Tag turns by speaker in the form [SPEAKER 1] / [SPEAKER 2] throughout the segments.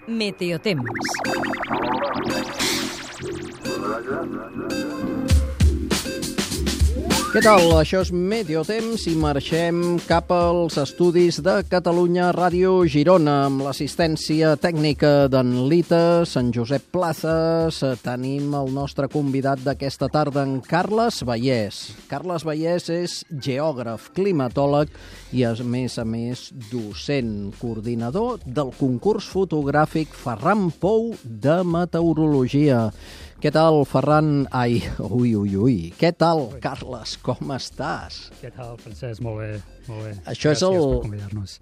[SPEAKER 1] Meteotemps.
[SPEAKER 2] Què tal? Això és Meteotemps i marxem cap als estudis de Catalunya Ràdio Girona amb l'assistència tècnica d'en Lita, Sant Josep Plazas. Tenim el nostre convidat d'aquesta tarda, en Carles Vallès. Carles Vallès és geògraf, climatòleg i, a més, docent, coordinador del concurs fotogràfic Ferran Pou de Meteorologia. Què tal, Ferran? Què tal, Carles? Com estàs?
[SPEAKER 3] Què tal, Francesc? Molt bé, molt bé.
[SPEAKER 2] Això
[SPEAKER 3] Gràcies per convidar-nos.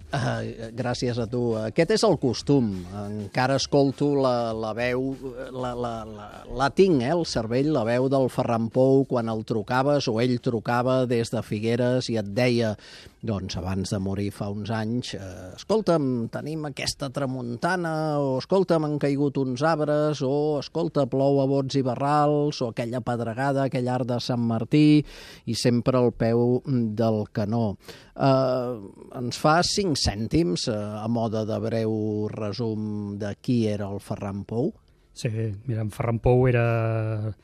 [SPEAKER 2] Gràcies a tu. Aquest és el costum. Encara escolto la veu, la tinc, el cervell, la veu del Ferran Pou quan el trucaves o ell trucava des de Figueres i et deia, doncs abans de morir fa uns anys, escolta'm, tenim aquesta tramuntana, o escolta'm, han caigut uns arbres, o escolta, plou a bots i barrals, o aquella pedregada, aquell arc de Sant Martí, i sempre al peu del canó. Ens fa 5 cèntims a mode de breu resum de qui era el Ferran Pou?
[SPEAKER 3] Sí, mira, en Ferran Pou era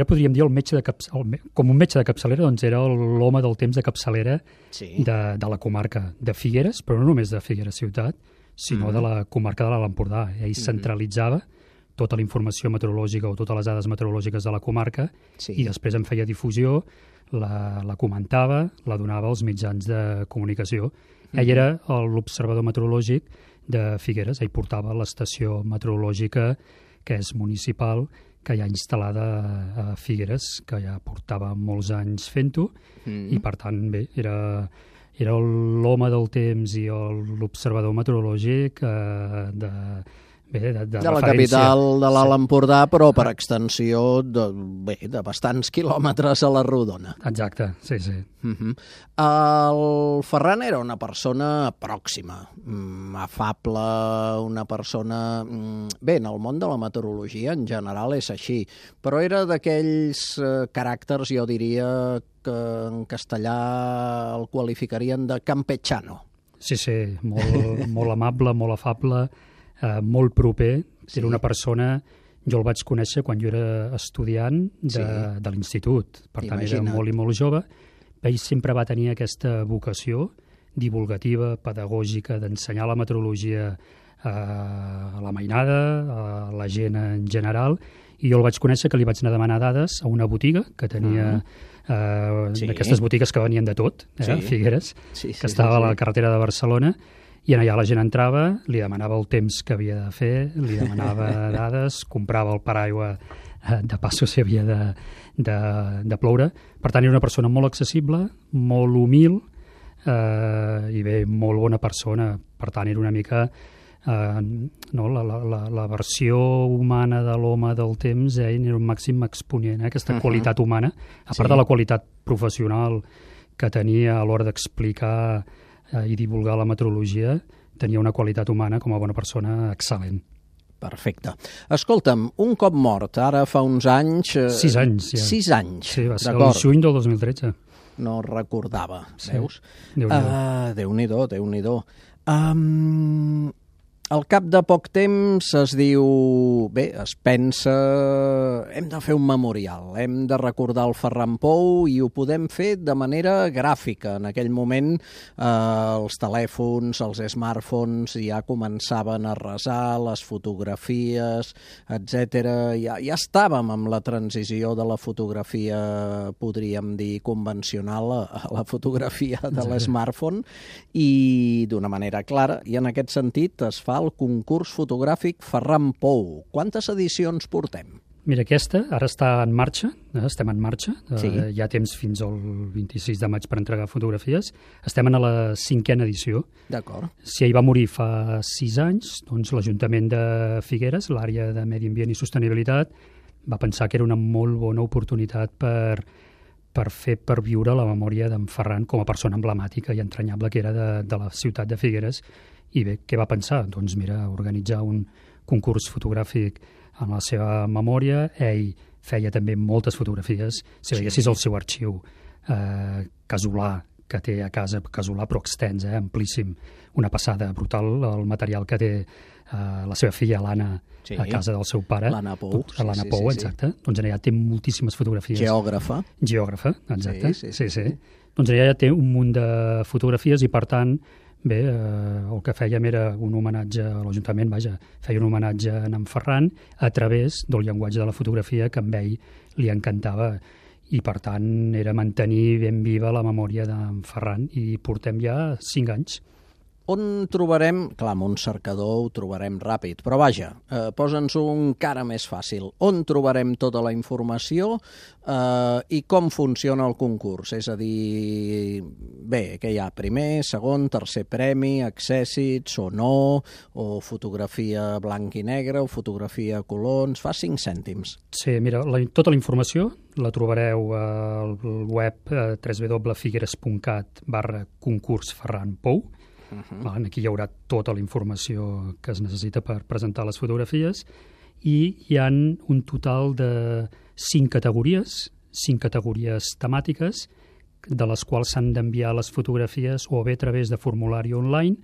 [SPEAKER 3] podríem dir, com un metge de capçalera, doncs era l'home del temps de capçalera de la comarca de Figueres, però no només de Figueres ciutat, sinó de la comarca de l'Alt Empordà. Ell centralitzava tota la informació meteorològica o totes les dades meteorològiques de la comarca i després en feia difusió, la comentava, la donava als mitjans de comunicació. Ell era l'observador meteorològic de Figueres. Ell portava l'estació meteorològica, que és municipal, que hi ha instal·lada a Figueres, que ja portava molts anys fent-ho, i per tant, bé, era l'home del temps i l'observador meteorològic de
[SPEAKER 2] la capital de l'Alt Empordà, però per extensió de bastants quilòmetres a la rodona.
[SPEAKER 3] Exacte, sí.
[SPEAKER 2] El Ferran era una persona pròxima, afable, una persona... Bé, en el món de la meteorologia en general és així, però era d'aquells caràcters, jo diria, que en castellà el qualificarien de campechano.
[SPEAKER 3] Sí, molt amable, molt afable, molt proper. Era una persona... Jo el vaig conèixer quan jo era estudiant de l'institut. Per tant, era molt i molt jove. Ell sempre va tenir aquesta vocació divulgativa, pedagògica, d'ensenyar la meteorologia a la mainada, a la gent en general, i jo el vaig conèixer que li vaig anar a demanar dades a una botiga que tenia d'aquestes botigues que venien de tot, Figueres, que estava a la carretera de Barcelona, i allà la gent entrava, li demanava el temps que havia de fer, li demanava dades, comprava el paraigua de passo si havia de ploure. Per tant, era una persona molt accessible, molt humil i bé, molt bona persona. Per tant, era una mica la versió humana de l'home del temps, era un màxim exponent, aquesta qualitat humana, a part de la qualitat professional que tenia a l'hora d'explicar i divulgar la meteorologia, tenia una qualitat humana com a bona persona excel·lent.
[SPEAKER 2] Perfecte. Escolta'm, un cop mort, ara fa uns anys...
[SPEAKER 3] 6 anys, ja.
[SPEAKER 2] 6 anys,
[SPEAKER 3] sí, va ser el juny del 2013.
[SPEAKER 2] No recordava, veus?
[SPEAKER 3] Déu-n'hi-do.
[SPEAKER 2] Déu-n'hi-do. Al cap de poc temps es diu, es pensa, hem de fer un memorial, hem de recordar el Ferran Pou i ho podem fer de manera gràfica. En aquell moment els telèfons, els smartphones ja començaven a resar, les fotografies, etc. Ja estàvem amb la transició de la fotografia, podríem dir, convencional a la fotografia de l'smartphone i d'una manera clara, i en aquest sentit es fa el concurs fotogràfic Ferran Pou. Quantes edicions portem?
[SPEAKER 3] Mira, aquesta ara està en marxa, estem en marxa, hi ha temps fins al 26 de maig per entregar fotografies, estem en la 5a edició.
[SPEAKER 2] D'acord.
[SPEAKER 3] Si ell va morir fa 6 anys, doncs l'Ajuntament de Figueres, l'àrea de Medi Ambient i Sostenibilitat, va pensar que era una molt bona oportunitat per viure la memòria d'en Ferran com a persona emblemàtica i entranyable que era de la ciutat de Figueres. I bé, què va pensar? Doncs mira, organitzar un concurs fotogràfic en la seva memòria. Ell feia també moltes fotografies. Si veiessis el seu arxiu casolà, que té a casa, casolà però extens, amplíssim, una passada brutal, el material que té la seva filla, l'Anna, a casa del seu pare.
[SPEAKER 2] L'Anna Pou.
[SPEAKER 3] L'Anna Pou, exacte. Doncs allà té moltíssimes fotografies.
[SPEAKER 2] Geògrafa,
[SPEAKER 3] exacte. Sí. Doncs allà té un munt de fotografies i, per tant, bé, el que fèiem era un homenatge a l'Ajuntament, feia un homenatge a en Ferran a través del llenguatge de la fotografia que a ell li encantava, i per tant era mantenir ben viva la memòria d'en Ferran, i portem ja 5 anys.
[SPEAKER 2] On trobarem... Clar, amb un cercador ho trobarem ràpid, però vaja, posa'ns-ho encara més fàcil. On trobarem tota la informació i com funciona el concurs? És a dir, bé, què hi ha? Primer, segon, tercer premi, accèssits o no, o fotografia blanc i negre, o fotografia a color... Ens fa 5 cèntims.
[SPEAKER 3] Sí, mira, tota la informació la trobareu al web www.figueres.cat/concurs Ferran Pou. Aquí hi haurà tota la informació que es necessita per presentar les fotografies, i hi ha un total de 5 categories temàtiques, de les quals s'han d'enviar les fotografies o bé a través de formulari online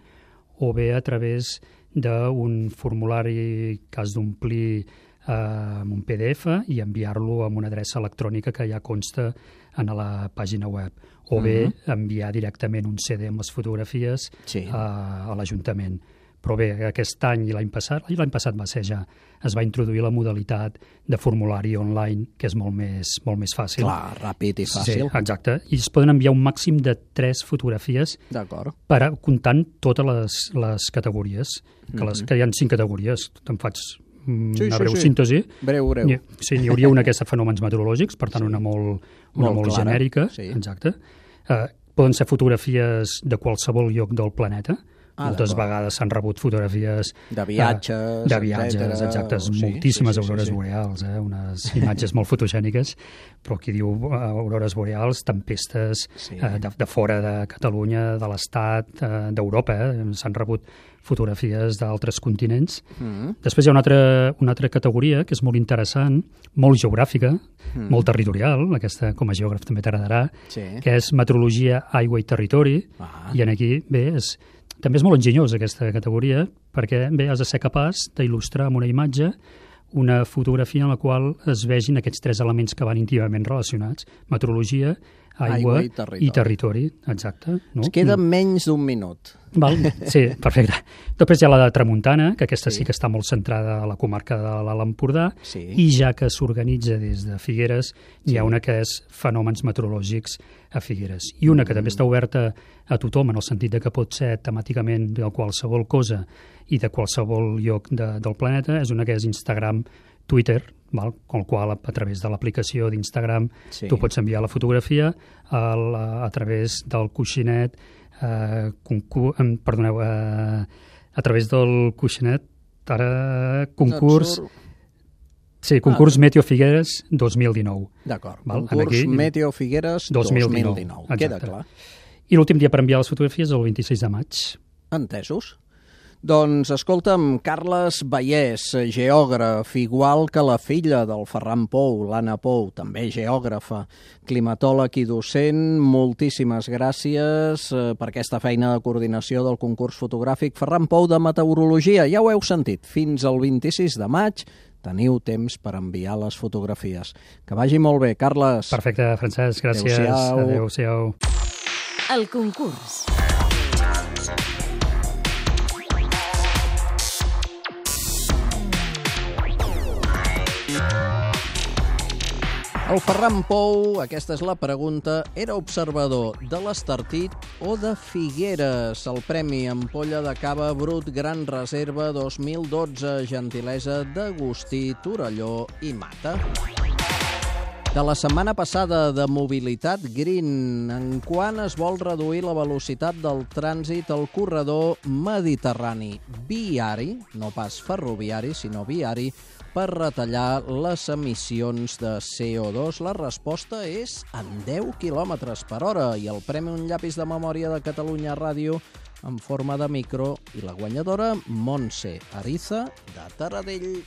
[SPEAKER 3] o bé a través d'un formulari que has d'omplir amb un PDF i enviar-lo amb una adreça electrònica que ja consta en la pàgina web, o bé enviar directament un CD amb les fotografies a l'Ajuntament. Però bé, aquest any i l'any passat va ser ja, es va introduir la modalitat de formulari online, que és molt més fàcil.
[SPEAKER 2] Clar, ràpid i fàcil.
[SPEAKER 3] Sí, exacte. I es poden enviar un màxim de 3 fotografies comptant totes les categories, que hi ha 5 categories. Te'n faig una breu síntesi.
[SPEAKER 2] Breu.
[SPEAKER 3] Sí, n'hi hauria una que és de fenòmens meteorològics, per tant una molt genèrica. Exacte. Poden ser fotografies de qualsevol lloc del planeta. Moltes vegades s'han rebut fotografies
[SPEAKER 2] de viatges,
[SPEAKER 3] exactes, moltíssimes aurores boreals, unes imatges molt fotogèniques, però qui diu aurores boreals, tempestes de fora de Catalunya, de l'Estat, d'Europa, s'han rebut fotografies d'altres continents. Després hi ha una altra categoria que és molt interessant, molt geogràfica, molt territorial, aquesta com a geògraf també t'agradarà, que és meteorologia, aigua i territori, i aquí, bé, també és molt enginyosa aquesta categoria, perquè bé, has de ser capaç d'il·lustrar amb una imatge una fotografia en la qual es vegin aquests 3 elements que van íntimament relacionats: meteorologia, aigua i territori. Exacte.
[SPEAKER 2] Ens queda menys d'1 minut.
[SPEAKER 3] Sí, perfecte. Després hi ha la de Tramuntana, que aquesta sí que està molt centrada a la comarca de l'Alt Empordà, i ja que s'organitza des de Figueres, hi ha una que és fenòmens meteorològics a Figueres. I una que també està oberta a tothom, en el sentit que pot ser temàticament de qualsevol cosa i de qualsevol lloc del planeta, és una que és Instagram, Twitter, con el qual a través de l'aplicació d'Instagram tu pots enviar la fotografia a través del coixinet, a través del coixinet, concurs Meteo Figueres 2019.
[SPEAKER 2] D'acord, concurs Meteo Figueres 2019. Queda clar.
[SPEAKER 3] I l'últim dia per enviar les fotografies és el 26 de maig.
[SPEAKER 2] Entesos. Doncs, escolta'm, Carles Vallès, geògraf, igual que la filla del Ferran Pou, l'Anna Pou, també geògrafa, climatòleg i docent, moltíssimes gràcies per aquesta feina de coordinació del concurs fotogràfic Ferran Pou de Meteorologia. Ja ho heu sentit, fins al 26 de maig teniu temps per enviar les fotografies. Que vagi molt bé, Carles.
[SPEAKER 3] Perfecte, Francesc, gràcies. Adéu-siau.
[SPEAKER 1] El concurs.
[SPEAKER 2] El Ferran Pou, aquesta és la pregunta, era observador de l'Estartit o de Figueres? El Premi Ampolla de Cava Brut Gran Reserva 2012, gentilesa d'Agustí, Torelló i Mata. De la setmana passada de mobilitat green, en quan es vol reduir la velocitat del trànsit al corredor mediterrani viari, no pas ferroviari, sinó viari, per retallar les emissions de CO2? La resposta és en 10 km per hora i el premi Un llapis de memòria de Catalunya Ràdio en forma de micro i la guanyadora Montse Ariza de Taradell.